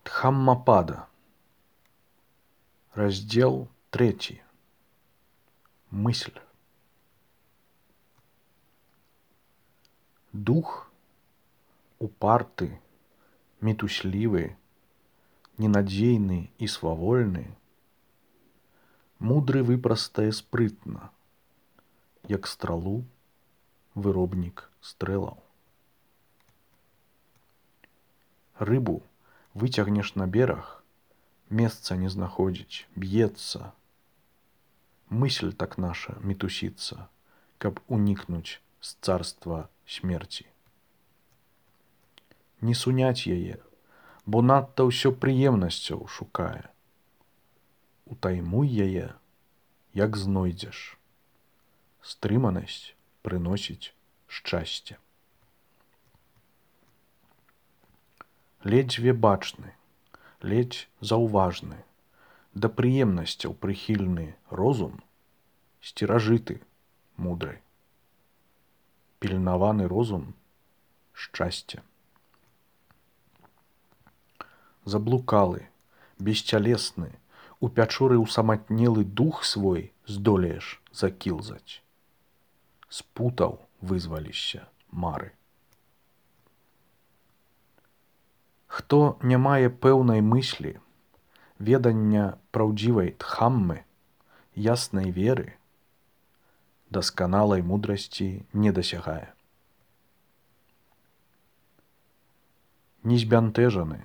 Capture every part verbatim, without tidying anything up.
Дхаммапада. Раздел третий. Мысль. Дух упарты, метуслівы, ненадзейны і свавольны, мудры выпрастае спрытна, як стралу выробнік стрэлаў. Рыбу выцягнеш на бераг, месца не знаходзіць, б'ецца. Мысль так наша мітусіцца, каб унікнуць з царства смерці. Не суняць яе, бо надта ўсё прыемнасцяў шукае. Утаймуй яе, як знойдзеш. Стрыманасць прыносіць шчасце. Ледзьве бачны, ледзь заўважны, да прыемнасцяў прыхільны розум, сцеражыты мудры. Пільнаваны розум шчасце. Заблукалы, бесцялесны, у пячоры ўсаматнелы дух свой здолееш закілзаць. Спутаў вызвалішся мары. Хто не мае пэўнай мыслі, ведання праўдзівай дхаммы, яснай веры, дасканалай мудрасці не дасягае. Незбянтэжаны,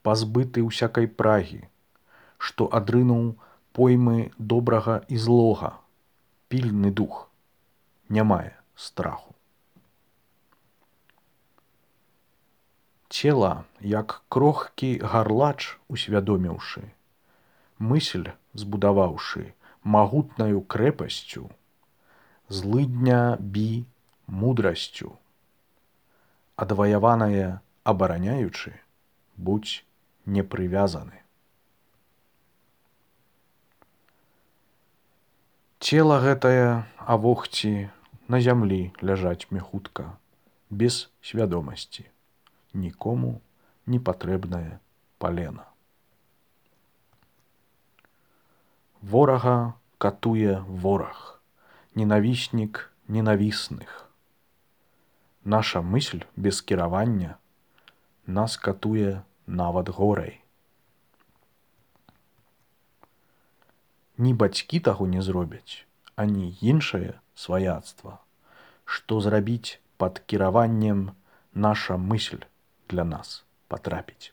пазбыты ўсякай прагі, што адрынуў поймы добрага і злога, пільны дух, не мае страху. Цела, як крохкі гарлач усвядоміўшы, мысль збудаваўшы магутнаю крэпасцю, злыдня бі мудрасцю, адваяванае абараняючы, будзь непрывязаны. Цела гэтае авогці на зямлі ляжаць мехутка, без свядомасці, нікому не патрэбнае палена. Ворага катуе вораг, ненавіснік ненавісных. Наша мысль без кіравання нас катуе нават горай. Ні бацькі таго не зробяць, ані іншае сваяцтва, што зрабіць пад кіраваннем наша мысль для нас патрапіць.